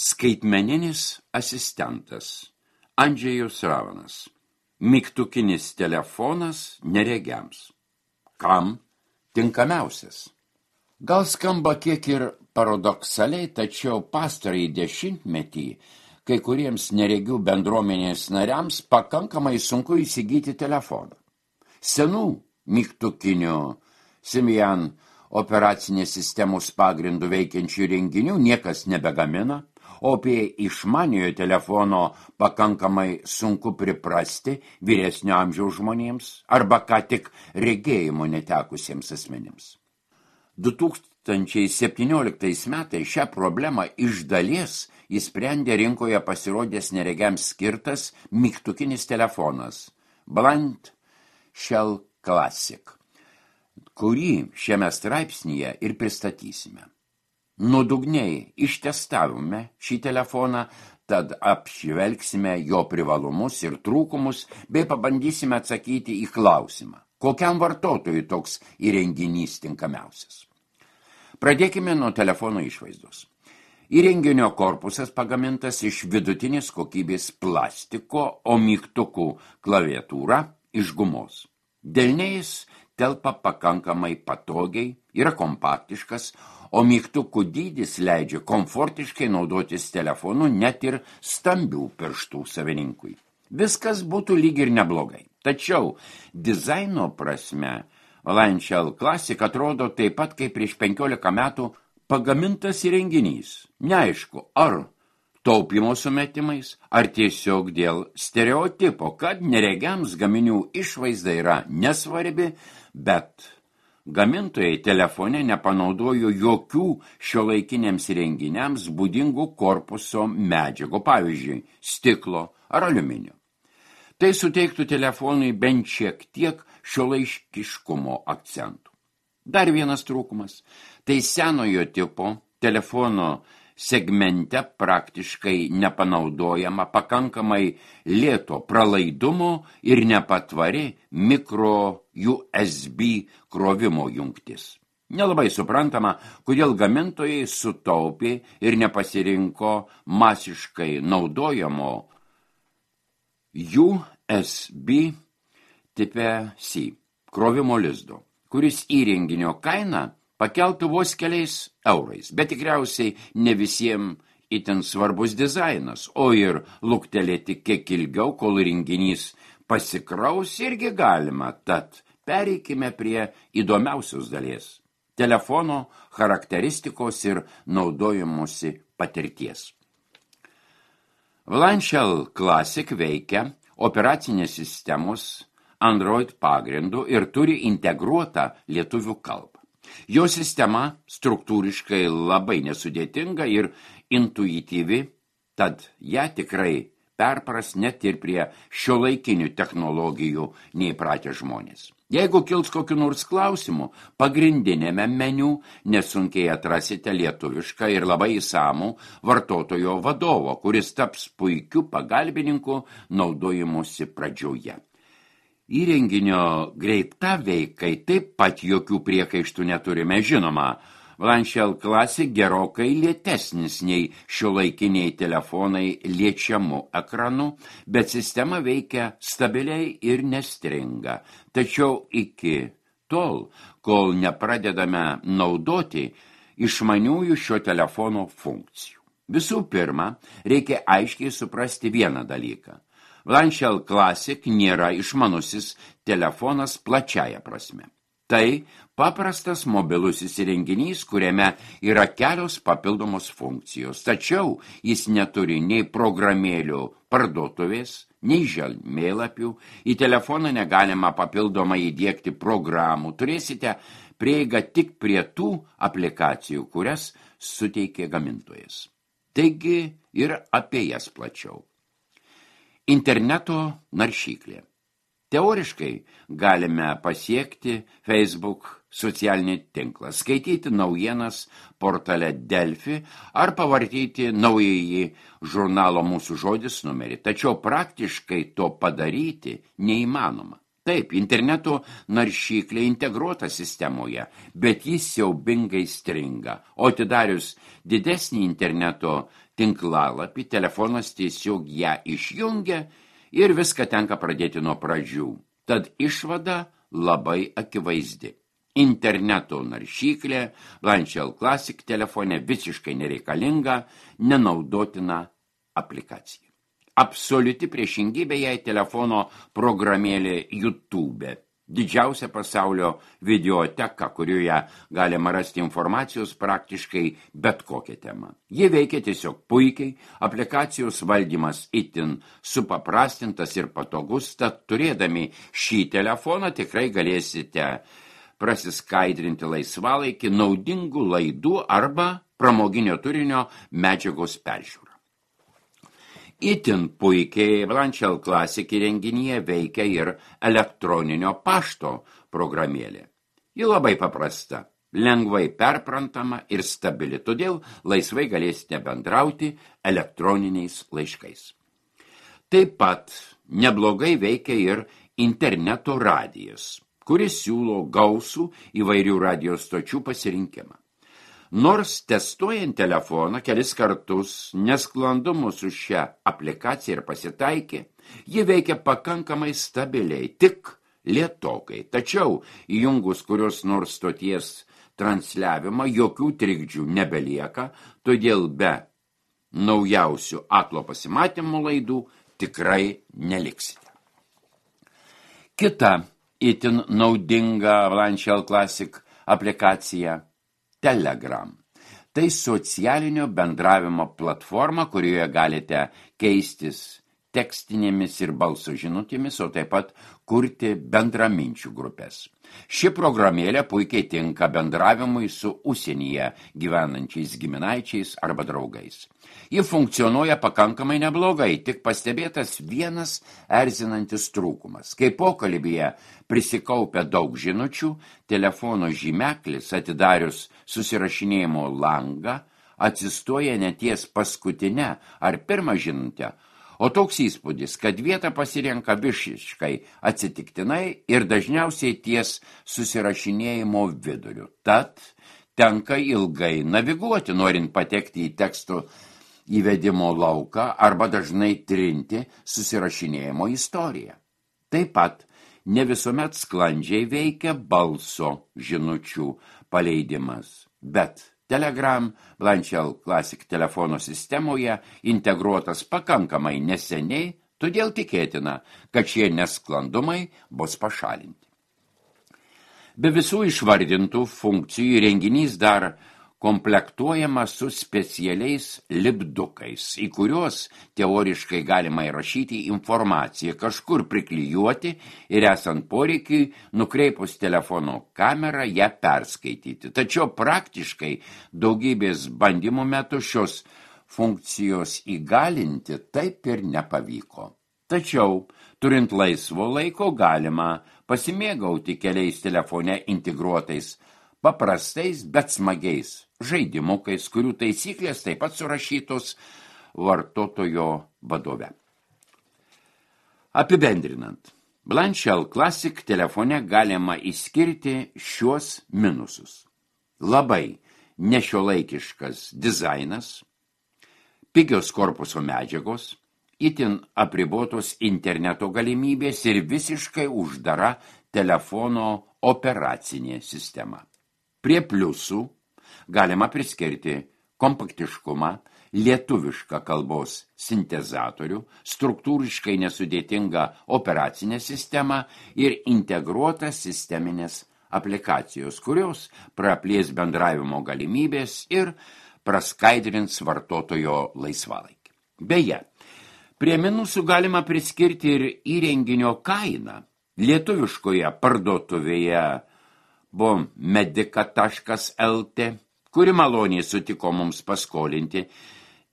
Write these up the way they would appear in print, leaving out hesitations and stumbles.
Skaitmeninis asistentas Andžejus Ravanas. Mygtukinis telefonas neregiams. Kam tinkamiausias? Gal skamba kiek ir paradoksaliai, tačiau pastarąjį dešimtmetį kai kuriems neregių bendruomenės nariams pakankamai sunku įsigyti telefoną. Senų mygtukinių Symbian operacinės sistemos pagrindų veikiančių renginių niekas nebegamina, o apie išmaniojo telefono pakankamai sunku priprasti vyresnio amžiaus žmonėms arba ką tik regėjimo netekusiems asmenims. 2017 metais šią problemą iš dalies įsprendė rinkoje pasirodęs neregiams skirtas mygtukinis telefonas Blind Shell Classic, kurį šiame straipsnyje ir pristatysime. Nuodugniai ištestavome šį telefoną, tad apžvelgsime jo privalumus ir trūkumus, bei pabandysime atsakyti į klausimą, kokiam vartotojui toks įrenginys tinkamiausias. Pradėkime nuo telefono išvaizdos. Įrenginio korpusas pagamintas iš vidutinės kokybės plastiko, o mygtukų klaviatūra iš gumos. Delniais telpa pakankamai patogiai, yra kompaktiškas, o mygtukų dydis leidžia komfortiškai naudotis telefonu net ir stambių pirštų savininkui. Viskas būtų lyg ir neblogai. Tačiau dizaino prasme Blind Shell Classic atrodo taip pat kaip prieš 15 metų pagamintas įrenginys. Neaišku, ar taupymo sumetimais, ar tiesiog dėl stereotipo, kad neregiams gaminių išvaizda yra nesvarbi, bet gamintojai telefone nepanaudojo jokių šiuolaikiniams įrenginiams būdingų korpuso medžiagų, pavyzdžiui, stiklo ar aliuminio. Tai suteiktų telefonui bent šiek tiek šiuolaikiškumo akcentų. Dar vienas trūkumas – tai senojo tipo telefono segmente praktiškai nepanaudojama pakankamai lėto pralaidumo ir nepatvari mikro USB krovimo jungtis. Nelabai suprantama, kodėl gamintojai sutaupė ir nepasirinko masiškai naudojamo USB tipe C krovimo lizdo, kuris įrenginio kainą pakeltų vos keliais eurais, bet tikriausiai ne visiems itin svarbus dizainas, o ir luktelėti kiek ilgiau, kol renginys pasikraus irgi galima, tad pereikime prie įdomiausios dalies – telefono charakteristikos ir naudojimosi patirties. Blind Shell Classic veikia operacinės sistemos Android pagrindu ir turi integruotą lietuvių kalbą. Jo sistema struktūriškai labai nesudėtinga ir intuityvi, tad ją tikrai perpras net ir prie šiuolaikinių technologijų neįpratę žmonės. Jeigu kils kokiu nors klausimu, pagrindinėme meniu nesunkiai atrasite lietuvišką ir labai įsamų vartotojo vadovo, kuris taps puikiu pagalbininku naudojimusi pradžioje. Įrenginio greita veikai taip pat jokių priekaištų neturime. Žinoma, Blind Shell Classic gerokai lėtesnis nei šiuolaikiniai telefonai liečiamų ekranų, bet sistema veikia stabiliai ir nestringa. Tačiau iki tol, kol nepradedame naudoti išmaniųjų šio telefono funkcijų. Visų pirma, reikia aiškiai suprasti vieną dalyką. Blind Shell Classic nėra išmanusis telefonas plačiaja prasme. Tai paprastas mobilusis įrenginys, kuriame yra kelios papildomos funkcijos, tačiau jis neturi nei programėlių parduotuvės, nei žemėlapių, į telefoną negalima papildomai įdiegti programų, turėsite prieigą tik prie tų aplikacijų, kurias suteikia gamintojas. Taigi ir apie jas plačiau. Interneto naršyklė. Teoriškai galime pasiekti Facebook socialinį tinklą, skaityti naujienas portale Delfi ar pavartyti naująjį žurnalo Mūsų žodis numerį, tačiau praktiškai to padaryti neįmanoma. Taip, interneto naršyklė integruota sistemoje, bet jis siaubingai stringa, o atidarius didesnį interneto tinklalapį, telefonas tiesiog ją išjungia ir viską tenka pradėti nuo pradžių. Tad išvada labai akivaizdi. Interneto naršyklė Blanchel Classic telefone visiškai nereikalinga, nenaudotina aplikacija. Absoliuti priešingybė jai telefono programėlė YouTube. Didžiausia pasaulio videoteka, kurioje galima rasti informacijos praktiškai bet kokią temą. Ji veikia tiesiog puikiai, aplikacijos valdymas itin supaprastintas ir patogus, tad turėdami šį telefoną tikrai galėsite prasiskaidrinti laisvalaikį naudingų laidų arba pramoginio turinio medžiagos peržiūrą. Itin puikiai Blanchel Classic įrenginyje veikia ir elektroninio pašto programėlė. Ji labai paprasta, lengvai perprantama ir stabili, todėl laisvai galėsite bendrauti elektroniniais laiškais. Taip pat neblogai veikia ir interneto radijas, kuris siūlo gausų įvairių radijo stočių pasirinkimą. Nors testuojant telefoną kelis kartus nesklandumų su šia aplikacija ir pasitaikė, ji veikia pakankamai stabiliai, tik lėtokai. Tačiau įjungus kurios nors stoties transliavimą jokių trikdžių nebelieka, todėl be naujausių aklo pasimatymų laidų tikrai neliksite. Kita itin naudinga Blanchel Classic aplikacija Telegram. Tai socialinio bendravimo platforma, kurioje galite keistis tekstinėmis ir balso žinutėmis, o taip pat kurti bendraminčių grupės. Ši programėlė puikiai tinka bendravimui su užsienyje gyvenančiais giminaičiais arba draugais. Ji funkcionuoja pakankamai neblogai, tik pastebėtas vienas erzinantis trūkumas. Kai pokalbyje prisikaupia daug žinučių, telefono žymeklis atidarius susirašinėjimo langą atsistoja ne ties paskutinę ar pirmą žinutę, o toks įspūdis, kad vietą pasirenka visiškai atsitiktinai ir dažniausiai ties susirašinėjimo viduriu. Tad tenka ilgai naviguoti, norint patekti į teksto įvedimo lauką arba dažnai trinti susirašinėjimo istoriją. Taip pat ne visuomet sklandžiai veikia balso žinučių paleidimas, bet Telegram Blanchel Classic telefono sistemoje integruotas pakankamai neseniai, todėl tikėtina, kad šie nesklandumai bus pašalinti. Be visų išvardintų funkcijų įrenginys dar komplektuojamas su specialiais lipdukais, į kuriuos teoriškai galima įrašyti informaciją, kažkur priklijuoti ir esant poreikiui nukreipus telefono kamerą ją perskaityti. Tačiau praktiškai daugybės bandymų metu šios funkcijos įgalinti taip ir nepavyko. Tačiau, turint laisvo laiko, galima pasimėgauti keliais telefone integruotais paprastais, bet smagiais žaidimukais, kurių taisyklės taip pat surašytos vartotojo vadove. Apibendrinant, Blanchel Classic telefone galima išskirti šiuos minusus. Labai nešiuolaikiškas dizainas, pigios korpuso medžiagos, itin apribotos interneto galimybės ir visiškai uždara telefono operacinė sistema. Prie pliusų galima priskirti kompaktiškumą, lietuvišką kalbos sintezatorių, struktūriškai nesudėtingą operacinę sistemą ir integruotas sisteminės aplikacijos, kurios praplės bendravimo galimybės ir praskaidrins vartotojo laisvalaikį. Beje, prie minusų galima priskirti ir įrenginio kainą. Lietuviškoje parduotuvėje Medica.lt, kuri maloniai sutiko mums paskolinti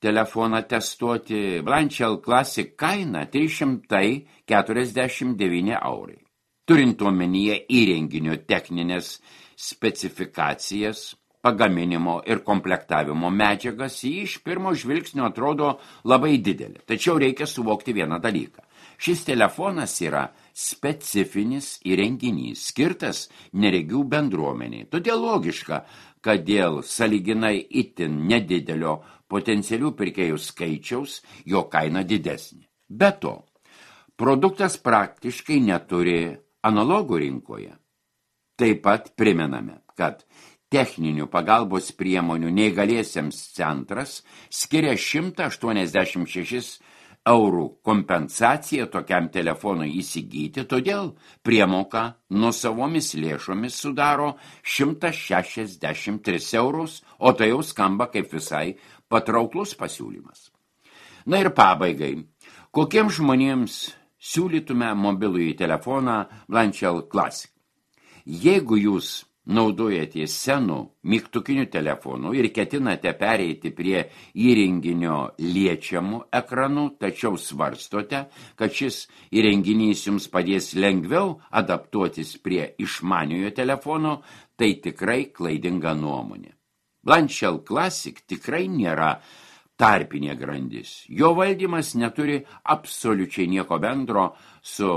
telefoną testuoti, Blanchel Classic kaina 349 eurai. Turint omenyje įrenginio techninės specifikacijas, pagaminimo ir komplektavimo medžiagas, ji iš pirmo žvilgsnio atrodo labai didelė. Tačiau reikia suvokti vieną dalyką. Šis telefonas yra specifinis įrenginys, skirtas neregių bendruomeniai. Todėl logiška, kad dėl sąlyginai itin nedidelio potencialių pirkėjų skaičiaus jo kaina didesnė. Be to, produktas praktiškai neturi analogų rinkoje. Taip pat primename, kad techninių pagalbos priemonių neįgaliesiems centras skiria 186 eurų kompensaciją tokiam telefonui įsigyti, todėl priemoka nuosavomis lėšomis sudaro 163 eurus, o tai jau skamba kaip visai patrauklus pasiūlymas. Na ir pabaigai, kokiems žmonėms siūlytume mobilųjį telefoną Blanchell Classic? Jeigu jūs naudojatės senų mygtukinių telefonų ir ketinate pereiti prie įrenginio liečiamų ekranų, tačiau svarstote, kad šis įrenginys jums padės lengviau adaptuotis prie išmaniojo telefono, tai tikrai klaidinga nuomonė. Blanchell Classic tikrai nėra tarpinė grandis. Jo valdymas neturi absoliučiai nieko bendro su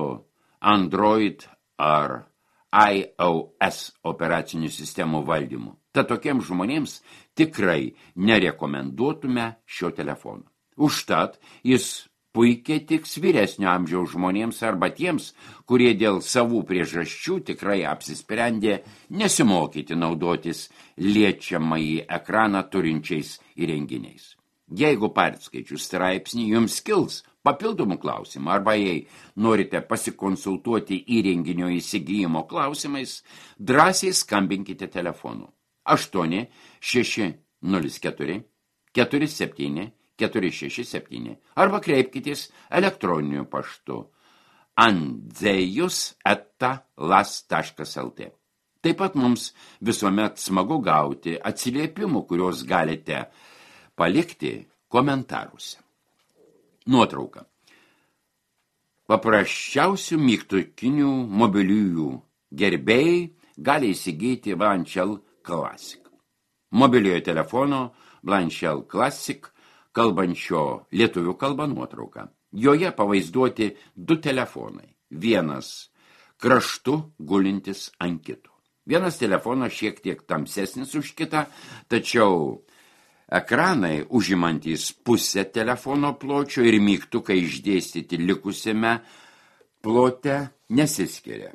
Android ar iOS operacinių sistemų valdymu. Tad tokiems žmonėms tikrai nerekomenduotume šio telefono. Užtat jis puikiai tiks vyresnio amžiaus žmonėms arba tiems, kurie dėl savų priežasčių tikrai apsisprendė nesimokyti naudotis liečiamąjį ekraną turinčiais įrenginiais. Jeigu perskaičius straipsnį jums kils papildomų klausimų arba jei norite pasikonsultuoti įrenginio įsigijimo klausimais, drąsiai skambinkite telefonu 8 604 47 467 arba kreipkitės elektroniniu paštu andzejus@las.lt. Taip pat mums visuomet smagu gauti atsiliepimų, kuriuos galite palikti komentaruose. Nuotrauka. Paprasčiausių mygtukinių mobiliųjų gerbėjai gali įsigyti Blanchell Classic. Mobiliojo telefono Blanchell Classic kalbančio lietuvių kalba nuotrauka. Joje pavaizduoti 2 telefonai. Vienas kraštu gulintis ant kito. Vienas telefonas šiek tiek tamsesnis už kitą, tačiau ekranai užimantys pusę telefono pločio ir mygtukai išdėstyti likusiame plote nesiskiria.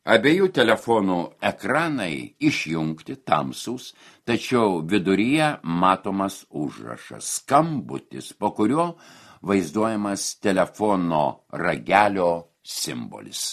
Abiejų telefonų ekranai išjungti tamsūs, tačiau viduryje matomas užrašas skambutis, po kurio vaizduojamas telefono ragelio simbolis.